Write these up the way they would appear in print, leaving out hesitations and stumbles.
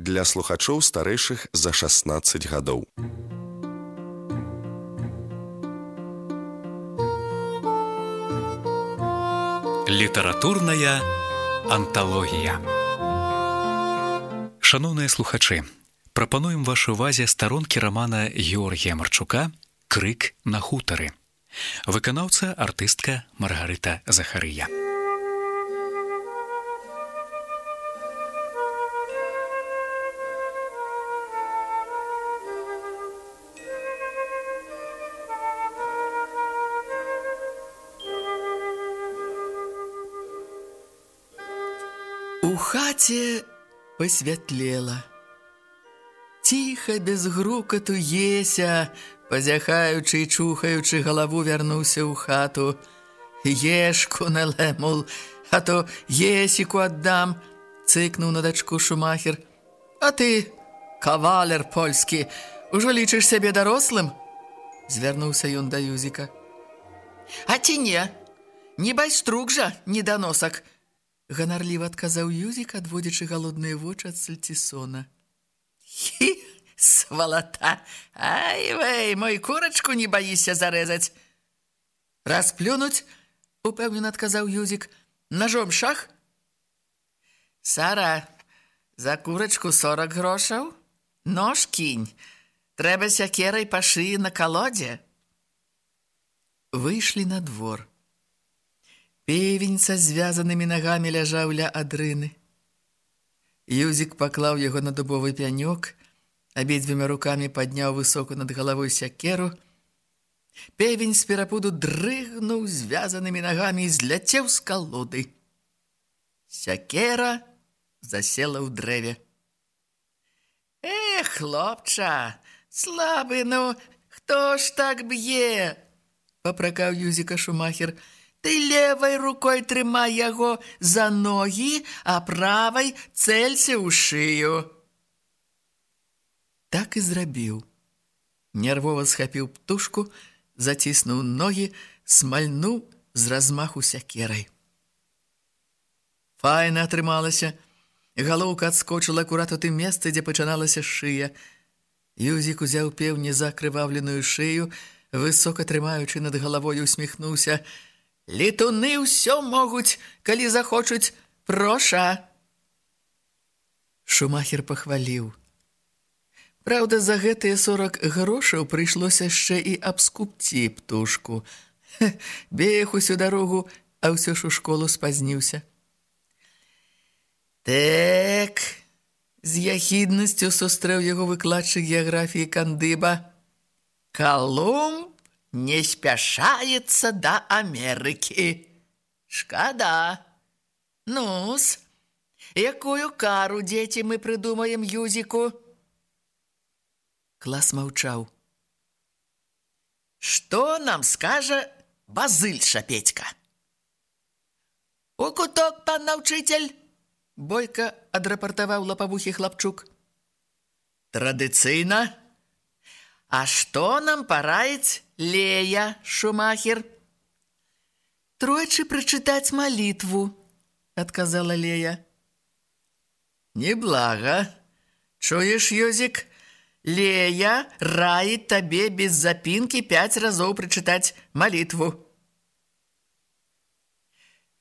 для слухачоў старэйшых за 16 гадоў. Літаратурная анталогія. Шаноўныя слухачы, прапануем вашай увазе старонкі рамана Георгія Марчука «Крык на хутары». Выканаўца артыстка Маргарыта Захарыя. У хаце посвятлела. Ціха, без грукату Еся, пазяхаючы і чухаючы галаву, вярнуўся ў хату. Ешку налемул, а то Есіку аддам, цыкнуў на дачку Шумахер. А ты, кавалер польскі, ужо лічыш сябе дарослым? Звярнуўся ён да Юзіка. А ці не байструк жа, недоносак, ганарліва адказаў Юзік, адводзячы галодныя вочы ад сальцісона. Хі, свалата! Ай-вэй, мой курачку не баіся зарэзаць. Расплюнуць, упэўнена адказаў Юзік. Ножом шах? Сара, за курачку 40 грошаў? Нож кінь. Трэба сякерай па шыі на калодзе. Выйшлі на двор. Певень са звязанымі нагамі ляжаў ля адрыны. Юзік паклаў яго на дубовы пянёк, абедзвюма рукамі падняў высоко над галавой сякеру. Певень з перапуду дрыгнуў звязанымі нагамі і зляцеў з калоды. Сякера засела ў дрэве. Хлопча, слабы, ну, хто ж так б'е? Папракаў Юзіка Шумахер. Ты левай рукой трымай яго за ногі, а правай цэлься ў шыю. Так і зрабіў. Нервова схапіў птушку, заціснуў ногі, смальнуў з размаху сякерай. Файна атрымалася. Галоўка адскочыла акурат у тым месцы, дзе пачыналася шыя. Юзік узяў пеўні за акрываўленую шыю, высока трымаючы над галавой, усміхнуўся. Летуны ўсё могуць, калі захочуць, проша. Шумахер пахваліў. Праўда, за гэтыя 40 грошаў прыйшлося яшчэ і абскупці птушку. Бег усю дарогу, а ўсё ж у школу спазніўся. Так, з яхіднасцю сустрэў яго выкладчык геаграфіі Кандыба. Колумб не спяшаецца да Амерыкі. Шкада. Ну-с, якую кару, дзеці, мы прыдумаем Юзіку? Клас маўчаў. Што нам скажа Базыль Шапецька? У куток, пан наўчыцель, бойка адрапартаваў лапавухі хлапчук. Традыцыйна. А што нам параіць Лея Шумахер? Тройчы прачытаць малітву, адказала Лея. Неблага. Чуеш, Юзік? Лея раіць табе без запінкі 5 разоў прачытаць малітву.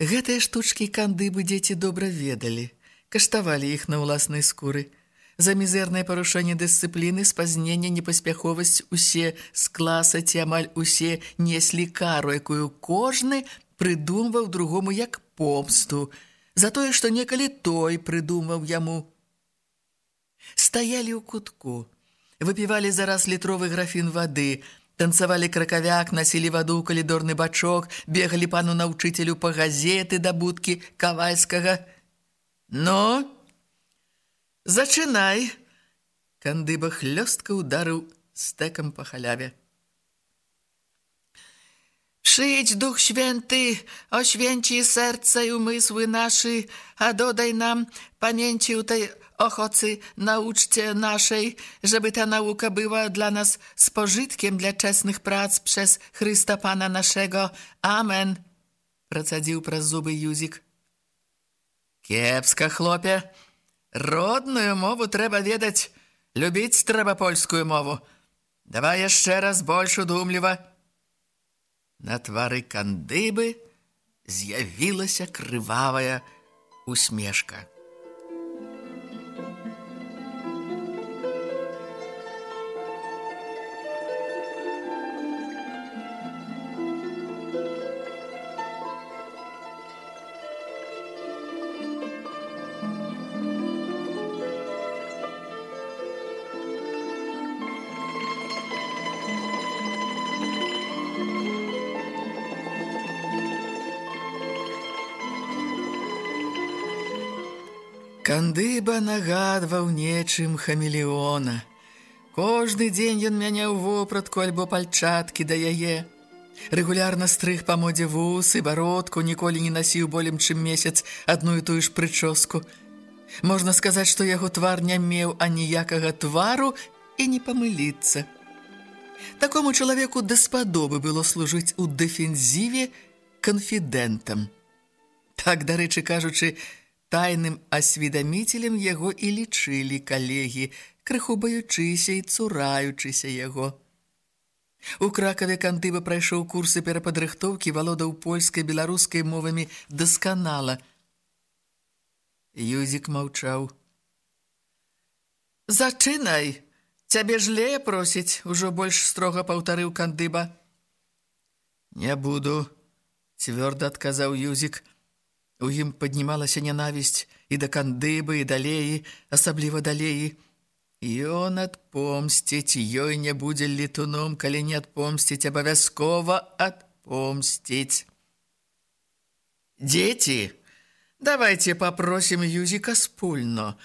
Гэтыя штучкі Кандыбы дзеці добра ведалі, каштавалі іх на ўласнай скуры. За мізэрнае парушэнне дысцыпліны, спазненне, непаспяховасць усе з класа ці амаль усе неслі кару, якую кожны прыдумваў другому як помсту, за тое, што некалі той прыдумваў яму. Стаялі ў кутку, выпівалі зараз літровы графін вады, танцавалі кракавяк, насілі ваду ў калідорны бачок, бегалі пану наўчыцелю па газеты да будкі Кавальскага. Ну, зачынай. Кандыба хлёстка ударыў стэкам па халяве. Przyjdź Duch Święty, oświęci serca i umysły nasze, a dodaj nam pamięci tej ochocy nauczcie naszej, żeby ta nauka była dla nas spożytkiem dla czesnych prac przez Chrysta Pana naszego. Amen. Procadził przez zuby Юзік. Кепска, хлопе. Родную мову трэба ведаць, любіць трэба польскую мову. Давай яшчэ раз больш удумліва. На твары кандыбы з'явілася крывавая усмешка. Кандыба нагадваў нечым хамелеона. Кожны дзень ён мяняў вопратку альбо пальчаткі да яе. Рэгулярна стрыг па модзе вусы, бародку, ніколі не насіў болем чым месяц адну і тую ж прычоску. Можна сказаць, што яго твар не меў аніякага твару і не памыліцца. Такому чалавеку даспадобы было служыць у дэфензіве канфідэнтам. Так, дарэчы кажучы, тайным асведаміцелем яго і лічылі калегі, крыху баючыся і цураючыся яго. У Кракаве Кандыба прайшоў курсы перападрыхтоўкі, валодаў польскай, беларускай мовамі дасканала. Юзік маўчаў. «Зачынай! Цябе ж Лея просіць!» – ужо больш строга паўтарыў Кандыба. «Не буду!» – цвёрда адказаў Юзік. У ім паднімалася нянавісць і да Кандыбы, і да Леі, асабліва да Леі. Ён адпомсціць, ёй не будзе летуном, калі не адпомсціць, абавязкова адпомсціць. «Дзеці, давайте попросім Юзіка спульно.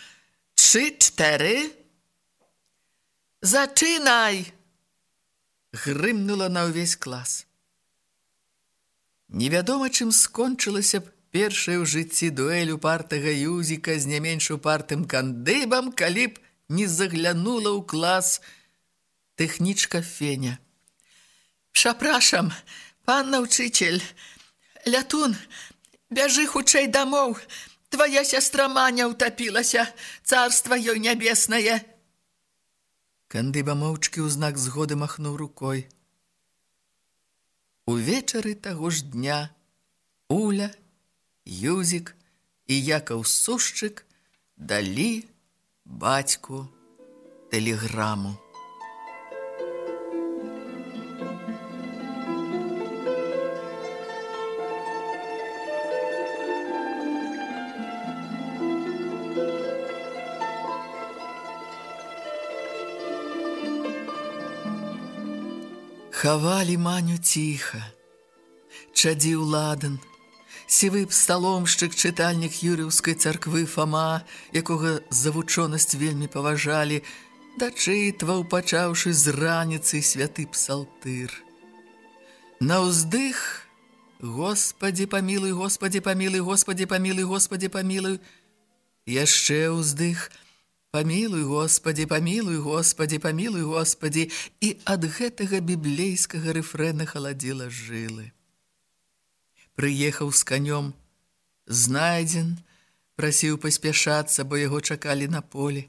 3-4. Зачынай!» Грымнула на ўвесь клас. Невядома, чым скончылася б першая ў жыцці дуэль упартага Юзіка з не менш упартым Кандыбам, калі б не заглянула ў клас тэхнічка Феня. «Прапрашам, пан наўчыцель, лятун, бяжы хутчэй дамоў, твая сястра Маня ўтапілася, царства ёй нябеснае!» Кандыба моўчкі ў знак згоды махнуў рукой. Увечары таго ж дня Уля, Юзік і Якаў Сушчык далі бацьку тэлеграму. Хавалі Маню ціха. Чадзіў ладан. Сівы псаломшчык, чытальнік Юр'еўскай царквы Фама, якога за вучонасць вельмі паважалі, дачытваў, пачаўшы з раніцы святы псалтыр. На ўздых «Господі памілуй, Господі памілуй, Господі памілуй, Господі памілуй». Яшчэ ўздых «Памілуй, Господі, памілуй, Господі, памілуй, Господі». І ад гэтага біблейскага рэфрэна халадзіла жылы. Прыехаў з канём, знайдзен, прасіў паспяшацца, бо яго чакалі на полі.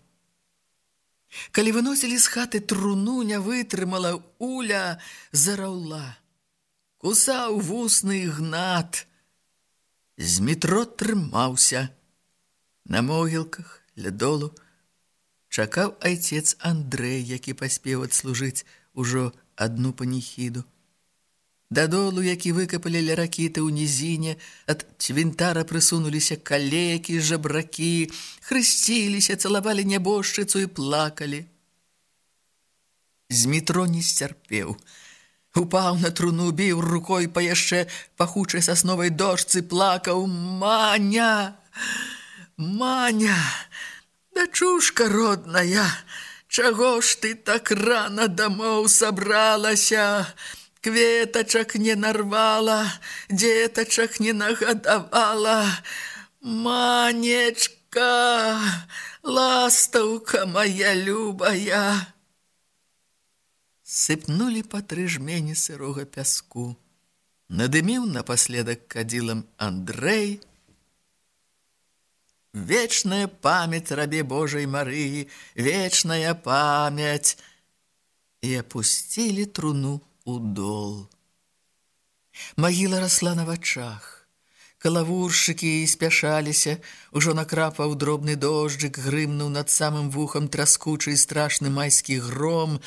Калі выносілі з хаты труну, не вытрымала, Уля зараўла. Кусаў вусны Ігнат. З метро трымаўся. На могілках, ля долу, чакаў айцец Андрэй, які паспеў адслужыць ужо адну паніхіду. Дадолу, які выкапалі ля ракіты ў нізіне, ад цвінтара прысунуліся калекі, жабракі, хрысціліся, цалавалі нябожчыцу і плакалі. З метро не сцярпеў. Упаў на труну, біў рукой па яшчэ пахучай сасновай дошцы, плакаў: «Маня! Маня! Дачушка родная! Чаго ж ты так рана дамоў сабралася? Кветачак не нарвала, дзетачак не нагадавала. Манечка, ластаўка моя любая!» Сыпнулі па 3 жмені сырога пяску. Надыміў напаследак кадзілам Андрэй. вечная память рабе Божией Марии, вечная память!» И опустили труну у дол. Магіла расла на вачах. Калавуршчыкі спяшаліся, ужо накрапаў дробны дожджык, грымнуў над самым вухам траскучы і страшны майскі гром.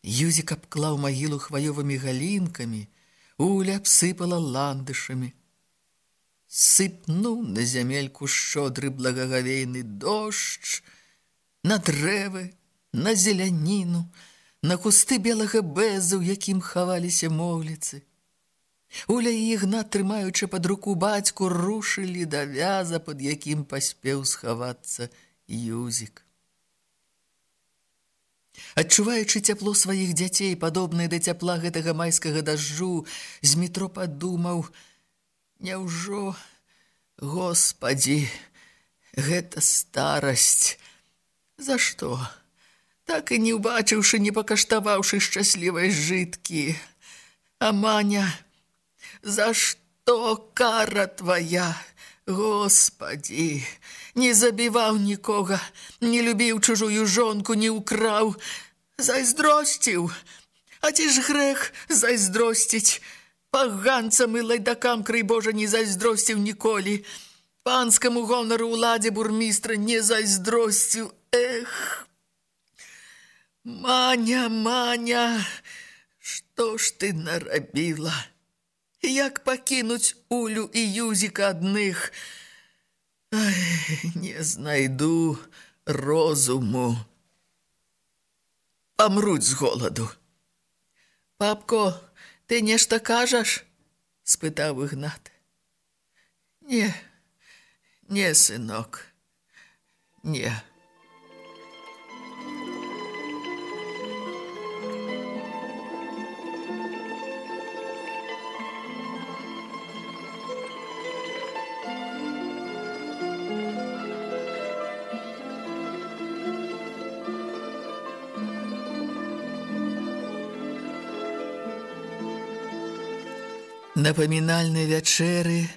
Юзік абклаў магілу хваёвымі галінкамі, Уля абсыпала ландышамі. Сыпнуў на зямельку шчодры благагавейны дождж, на дрэвы, на зеляніну, на кусты белага бэза, у якім хаваліся моўліцы. Уля і Ігнат, трымаючы пад руку бацьку, рушылі да вяза, пад якім паспеў схавацца Юзік. Адчуваючы цяпло сваіх дзяцей, падобнае да цяпла гэтага майскага дажджу, Змітро падумаў: «Няўжо, Господі, гэта старасць? За што? Так і не ўбачыўшы, не пакаштаваўшы шчаслівай жыткі. А Маня, за што кара твая? Господі, не забіваў нікога, не любіў чужую жонку, не ўкраў, зайздросціў. А ці ж грэх зайздросціць? Паганцам і лайдакам, крый Божа, не зайздросціў ніколі. Панскаму гонару ўладзе бурмістра не зайздросціў. Эх! Маня, Маня, што ж ты нарабіла? Як пакінуць Улю і Юзіка адных? Ай, не знайду розуму. Памруць з голаду. Папко, ты нешта кажаш? Спытаў Ігнат. Не, сынок, не. На памінальнай вячэры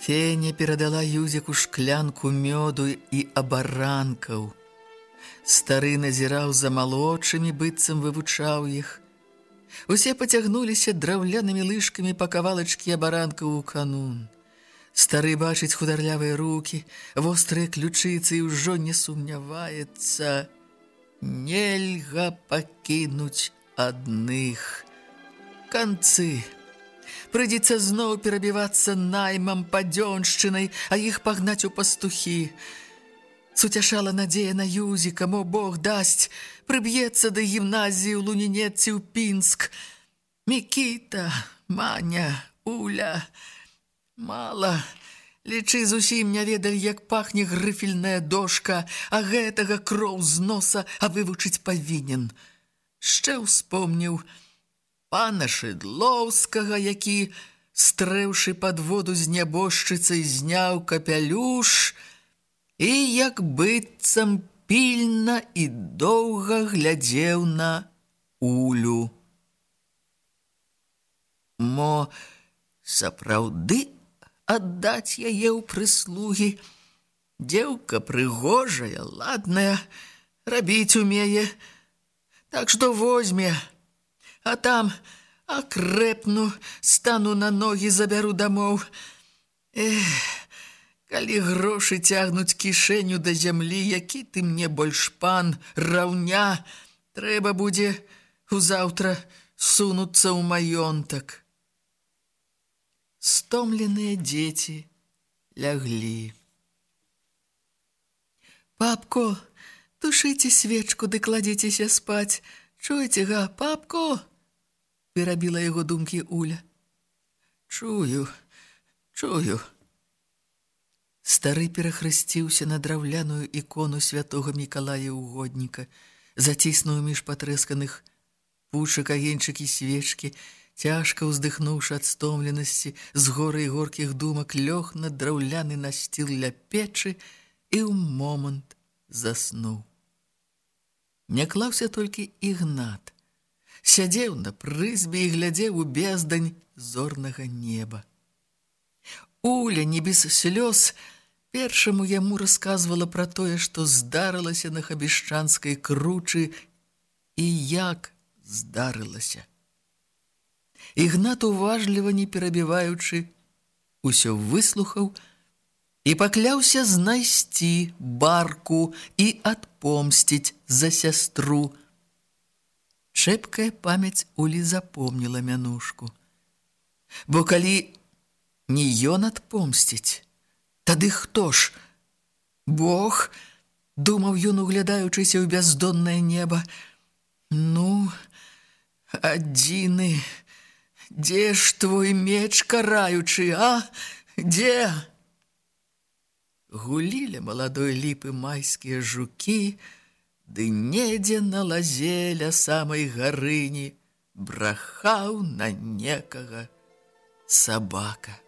Феня перадала Юзіку шклянку мёду і абаранкаў. Стары назіраў за малодшымі, быццам вывучаў іх. Усе пацягнуліся драўлянымі лыжкамі па кавалачкі абаранкаў у канун. Стары бачыць хударлявыя рукі, вострыя ключыцы і ўжо не сумняваецца. Нельга пакінуць адных. Канцы. Прыйдзецца зноў перабівацца наймам, падзёншчынай, а іх пагнаць у пастухі. Суцяшала надзея на Юзіка, мо Бог дасць, прыб'ецца да гімназіі ў Лунінец ці ў Пінск. Мікіта, Маня, Уля. Мала. Лічы, зусім не ведалі, як пахне грыфельная дошка, а гэтага кроў з носа, а вывучыць павінен. Шчэ ўспомніў пана Шыдлоўскага, які, стрэўшы пад воду з нябожчыцай, зняў капялюш і, як быццам, пільна і доўга глядзеў на Улю. Мо сапраўды аддаць яе ў прыслугі? Дзеўка прыгожая, ладная, рабіць умее, так што возьме. А там акрэпну, стану на ногі, забяру дамоў. Эх, калі грошы цягнуць кішэню да зямлі, які ты мне больш пан, раўня, трэба будзе узаўтра сунуцца ў маёнтак. Стомленыя дзеці ляглі. Папко, тушыце свечку ды кладзіцеся спаць. Чуеце, га, папко? Перабіла яго думкі Уля. Чую. Стары перахрысціўся на драўляную ікону святога Мікалая Угодніка, заціснуў між патрэсканых пучак агеньчык і свечкі, цяжка ўздыхнуўшы ад стомленасці, з горы і горкіх думак лёг на драўляны насціл ля печы і ў момант заснуў. Не клаўся толькі Ігнат. Сядзеў на прызбе і глядзеў у бездань зорнага неба. Уля, не без слёз, Першаму яму расказвала пра тое, што здарылася на Хабішчанскай кручы і як здарылася. Ігнат, уважліва не перабіваючы, усё выслухаў і пакляўся знайсці барку і адпомсціць за сястру. Шэпкая памяць Улі запомніла мянушку. Бо калі не ён адпомсціць, тады хто ж? Бог, думаў ён, углядаючыся ў бяздоннае неба. Ну, адзіны, дзе ж твой меч караючы, а? Дзе? Гулілі маладой ліпы майскія жукі, ды недзе на лазе ля самай гарыні брахаў на некага сабака.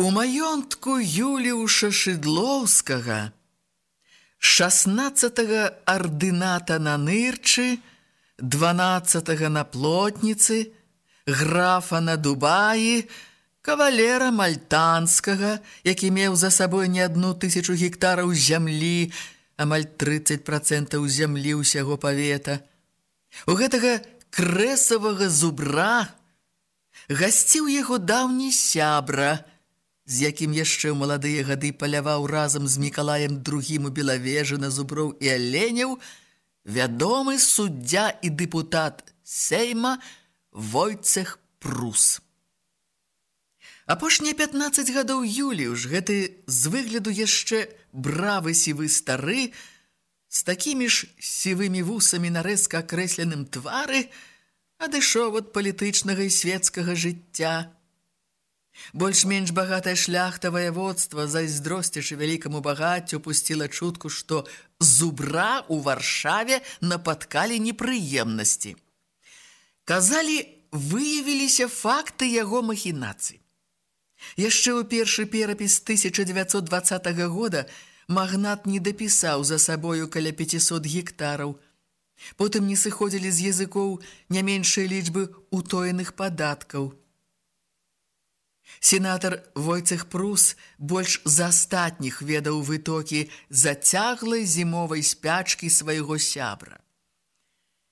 У маёнтку Юліуша Шыдлоўскага, 16-го ардыната на Нырчы, 12-го на Плотніцы, графа на Дубаі, кавалера Мальтанскага, які меў за сабой не 1000 гектараў зямлі, амаль 30% зямлі ўсяго павета. У гэтага крэсавага зубра гасціў яго даўні сябра, з якім яшчэ ў маладыя гады паляваў разам з Мікалаем II у Белавежы на зуброў і аленяў, вядомы суддзя і дэпутат Сейма Войцех Прус. Апошнія 15 гадоў Юліуш, гэты з выгляду яшчэ бравы сівы стары, з такімі ж сівымі вусамі на рэзка акрэсленым твары, адышоў ад палітычнага і свецкага жыцця. Больш-менш багатая шляхта ваяводства, зайздросцячы вялікаму багаццю, пусціла чутку, што зубра ў Варшаве напаткалі непрыемнасці. Казалі, выявіліся факты яго махінацый. Яшчэ ў першы перапіс 1920 года магнат не дапісаў за сабою каля 500 гектараў. Потым не сыходзілі з языкоў не меншыя лічбы утоеных падаткаў. Сенатар Войцех Прус больш за астатніх ведаў вытокі зацяглай зімовай спячкі свайго сябра.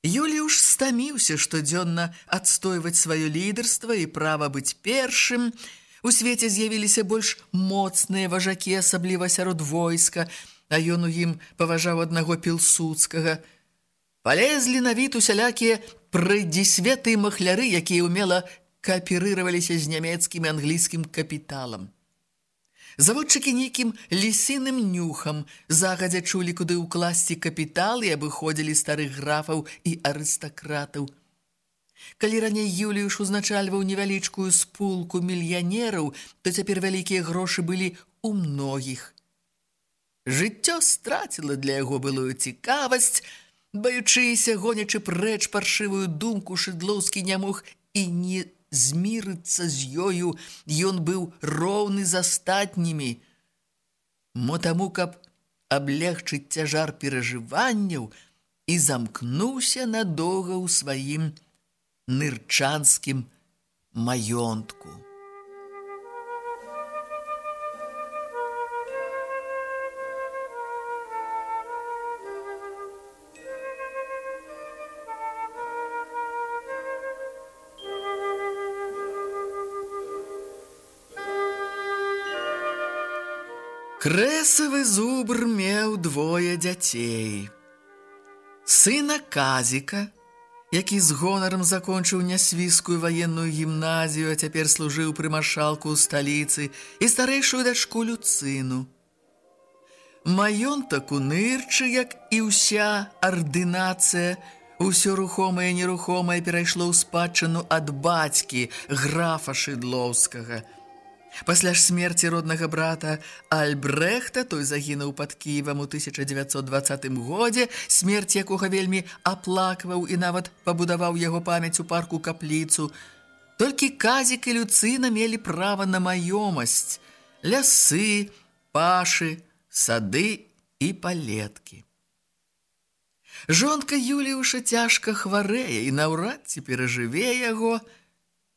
Юліуш стаміўся штодзённа адстойваць сваё лідарства і права быць першым. У свеце з'явіліся больш моцныя важакі, асабліва сярод войска, а ён у ім паважаў аднаго Пілсудскага. Палезлі на від усялякія прыдзісветы і махляры, якія ўмела кааперироваліся з нямецкім і англійскім капіталам. Заводчыкі нейкім лісіным нюхам загадзя чулі, куды ўкласці капітал, і абыходзілі старых графаў і арыстакратаў. Калі раней Юліуш узначальваў невялічкую спулку мільянераў, то цяпер вялікія грошы былі ў многіх. Жыццё страціла для яго былую цікавасць, баючыся, гонячы прэч паршывую думку, Шыдлоўскі не мог і не змірыцца з ёю, ён быў роўны з астатнімі. Мо таму, каб аблегчыць цяжар перажыванняў, і замкнуўся надоўга ў сваім нырчанскім маёнтку. Крэсавы зубр меў 2 дзяцей. Сына Казіка, які з гонарам закончыў нясвіскую ваенную гімназію, а цяпер служыў пры маршалку ў сталіцы, і старэйшую дачку Люцыну. Маёнтак у нырчы, як і ўся ардынацыя, усё рухомае і нерухомае перайшло ў спадчыну ад бацькі, графа Шыдлоўскага. Пасля ж смерці роднага брата Альбрэхта, той загінуў пад Кіевам у 1920 годзе, смерць якога вельмі аплакваў і нават пабудаваў яго памяць у парку капліцу, толькі Казік і Люцына мелі права на маёмасць, лясы, пашы, сады і палеткі. Жонка Юліуша цяжка хварэе і наўрад ці перажыве яго.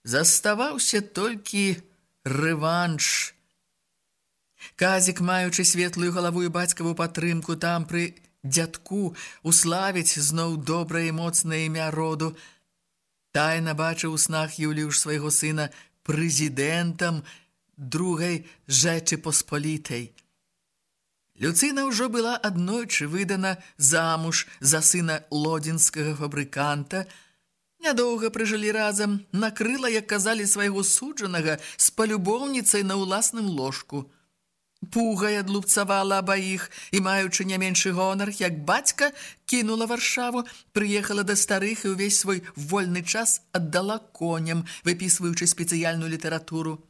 Заставаўся толькі рэванш. Казік, маючы светлую галаву і бацькаву падтрымку там пры дзядку, уславіць зноў добрае і моцнае імя роду. Тайна бачыў у снах Юліуш свайго сына прэзідэнтам другай Жэчы Пасполітай. Люцына ўжо была аднойчы выдана замуж за сына лодзінскага фабрыканта. Нядоўга прыжылі разам, накрыла, як казалі, свайго суджанага з палюбоўніцай на ўласным ложку. Пугай адлупцавала абаіх і, маючы не меншы гонар, як бацька, кінула Варшаву, прыехала да старых і ўвесь свой вольны час аддала коням, выпісваючы спецыяльную літаратуру.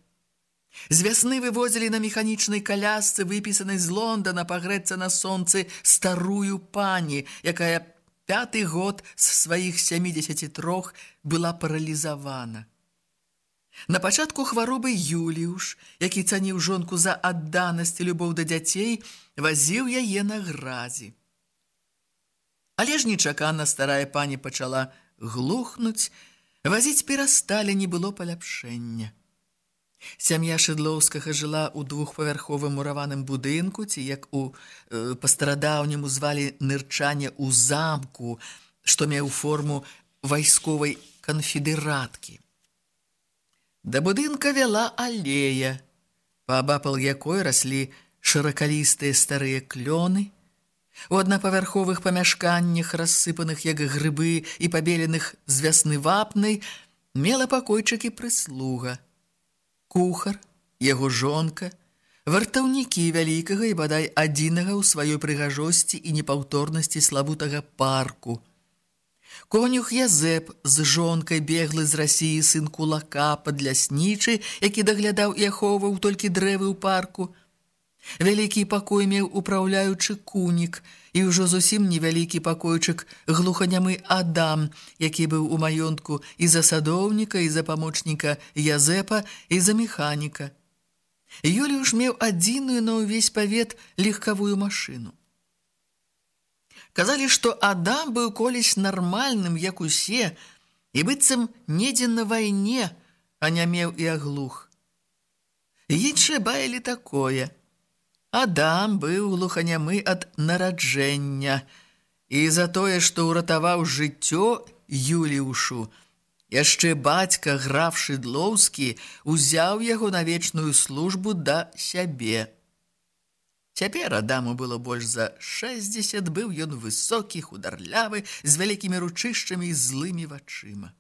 З вясны вывозілі на механічнай колясцы, выпісанай з Лондона, пагрэцца на сонцы старую пані, якая 5-й год з сваіх 73 была паралізавана. На пачатку хваробы Юліуш, які цаніў жонку за адданасць і любоў да дзяцей, вазіў яе на гразі. Але ж нечакана старая пані пачала глухнуць, вазіць перасталі, не было паляпшэння. Сям'я Шыдлоўскага жыла ў двухпавярховым мураваным будынку, ці як па-старадаўняму звалі нырчане ў замку, што меў форму вайсковай канфедэраткі. Да будынка вяла алея, паабапал якой раслі шыракалістыя старыя клёны. У аднапавярховых памяшканнях, рассыпаных як грыбы і пабеленых з вясны вапнай, мела пакойчыкі прыслуга. Кухар, яго жонка, вартаўнікі вялікага і бадай адзінага ў сваёй прыгажосці і непаўторнасці славутага парку. Конюх Язэп з жонкай, беглы з Расіі сын кулака, падляснічы, які даглядаў і ахоўваў толькі дрэвы ў парку. Вялікі пакой меў упраўляючы кунік, і ўжо зусім невялікі пакойчык глуханямы Адам, які быў у маёнтку і за садоўніка, і за памочніка Язэпа, і за механіка. Юліуш меў адзіную на ўвесь павет легкавую машыну. Казалі, што Адам быў колісь нармальным, як усе, і быццам недзе на вайне, а не меў і аглух. Іншыя баялі такое. Адам быў глуханямы ад нараджэння, і за тое, што ўратаваў жыццё Юліушу, яшчэ бацька, граф Шыдлоўскі, узяў яго на вечную службу да сябе. Цяпер Адаму было больш за 60, быў ён высокі, хударлявы, з вялікімі ручышчамі і злымі вачыма.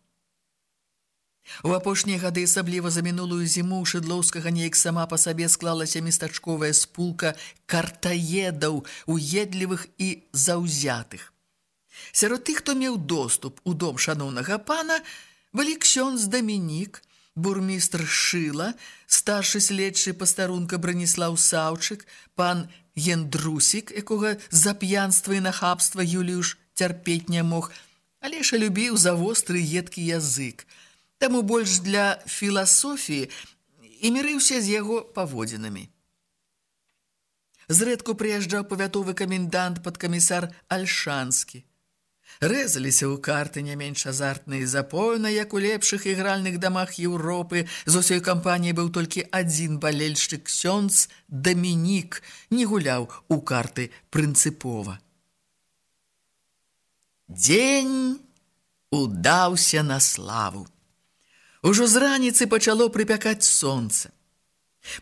У апошнія гады, асабліва за мінулую зіму, у Шыдлоўскага неяк сама па сабе склалася местачковая спулка картаедаў, уедлівых і заўзятых. Сярод тых, хто меў доступ у дом шаноўнага пана, былі ксёндз Дамінік, бурмістр Шыла, старшы следчы пастарунка Браніслаў Саўчык, пан Яндрусік, якога за п'янства і нахабства Юліуш цярпець не мог, але ж любіў за востры едкі язык. Таму больш для філасофіі і мірыўся з яго паводзінамі. Зрэдку прыязджаў павятовы камендант падкамісар Альшанскі. Рэзаліся ў карты не менш азартныя запойна, як у лепшых ігральных дамах Еўропы. З усёй кампаніі быў толькі адзін балельшчык, ксёндз Дамінік, не гуляў у карты прынцыпова. Дзень удаўся на славу. Ужо з раніцы пачало прыпякаць сонца.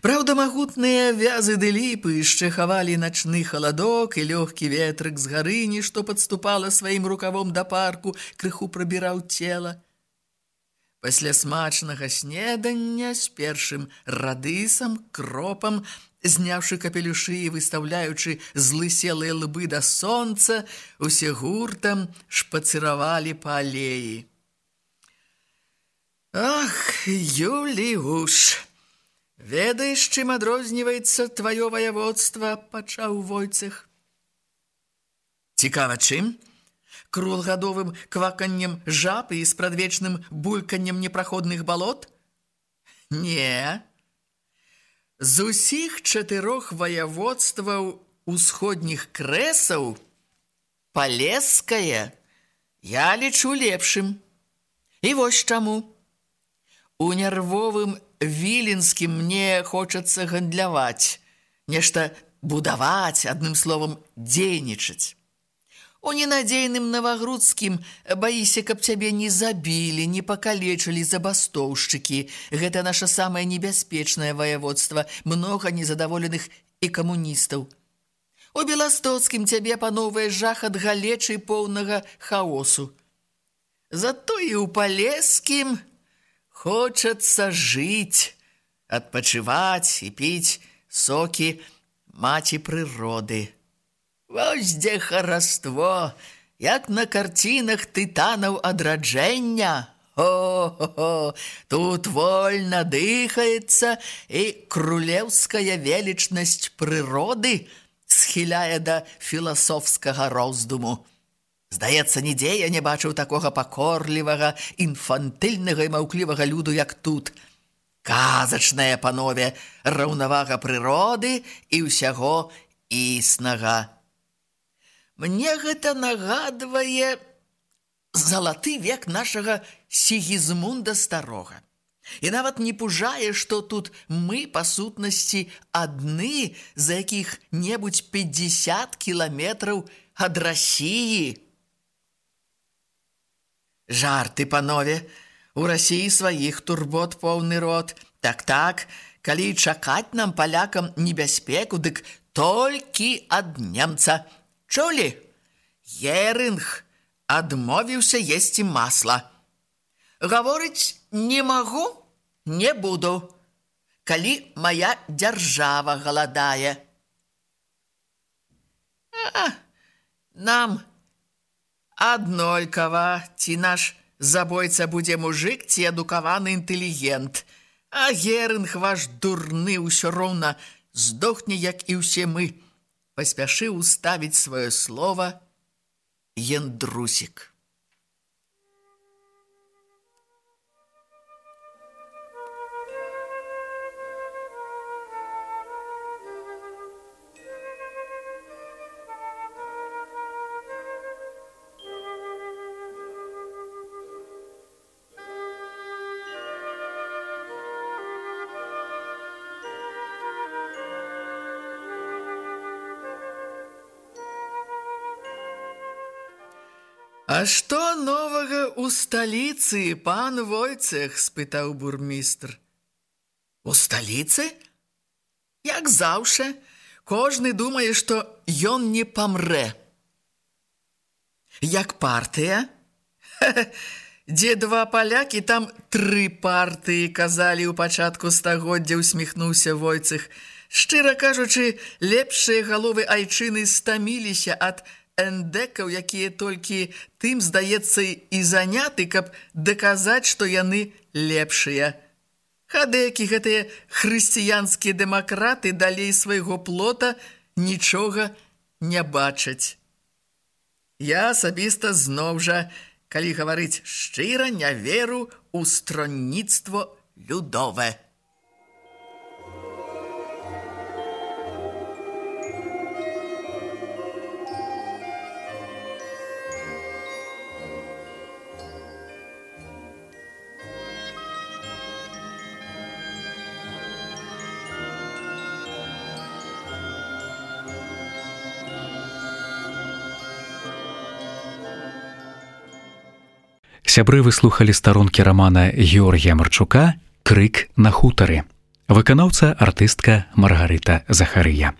Праўда, магутныя вязы ды ліпы яшчэ хавалі начны халадок, і лёгкі ветрык з гарыні, што падступала сваім рукавом да парку, крыху прабіраў цела. Пасля смачнага снедання з першым радысам, кропам, Зняўшы капелюшы і выстаўляючы злыселыя лбы да сонца, усе гуртам шпацыравалі па алеі. Ах, Юліуш, ведаеш, чым адрозніваецца тваё ваяводства, пачаў Войцэх. Цікава чым? Круглагадовым кваканнем жаб і спрадвечным бульканнем непраходных балот? Не. З усіх 4 ваяводстваў усходніх крэсаў Палескае я лічу лепшым. І вось чаму. У нервовым Віленскім мне хочацца гандляваць, нешта будаваць, адным словам, дзейнічаць. У ненадзейным Навагрудскім баіся, каб цябе не забілі, не пакалечылі забастоўшчыкі. Гэта наша самае небяспечнае ваяводства, многа незадаволеных і камуністаў. У Беластоцкім цябе пановае жах ад галечы поўнага хаосу. Зато і ў Палескім хочацца жыць, адпачываць і піць сокі маці прыроды. Вось дзе хараство, як на карцінах тытанаў адраджэння. О-хо-хо, тут вольна дыхаецца, і крулеўская велічнасць прыроды схіляе да філасофскага роздуму. Здаецца, нідзе я не бачыў такога пакорлівага, інфантыльнага і маўклівага люду, як тут. Казачнае, панове, раўнавага прыроды і ўсяго існага. Мне гэта нагадвае залаты век нашага Сігізмунда Старога. І нават не пужае, што тут мы, па сутнасці, адны за якіх-небудзь 50 кіламетраў ад Расіі. Жарты, панове, у Расіі сваіх турбот поўны рот. Так-так, калі чакаць нам, палякам, небяспеку, дык толькі ад немца. Чулі? Герынг адмовіўся есці масла. Гаворыць не магу, не буду, калі мая дзяржава галадае. Нам аднолькава, ці наш забойца будзе мужык, ці адукаваны інтэлігент. А Герынг ваш дурны ўсё роўна здохне, як і ўсе мы. Паспяшыў уставіць сваё слова Яндрусік. А што новага ў сталіцы, пан Войцэх? Спытаў бурмістр. У сталіцы? Як заўше, кожны думае, што ён не памрэ. Як партыя? Дзе 2 палякі, там 3 партыі, казалі ў пачатку стагоддзя, усміхнуўся Войцэх. Шчыра кажучы, лепшыя галовы айчыны стаміліся ад эндекаў, якія толькі тым, здаецца, і заняты, каб даказаць, што яны лепшыя. Хадэкі, гэтыя хрысціянскія дэмакраты, далей свайго плота нічога не бачаць. Я асабіста зноў жа, калі гаварыць шчыра, не веру ў стронніцтво людове. Сябры, вы слухалі старонкі рамана Георгія Марчука «Крык на хутары». Выканаўца артыстка Маргарыта Захарыя.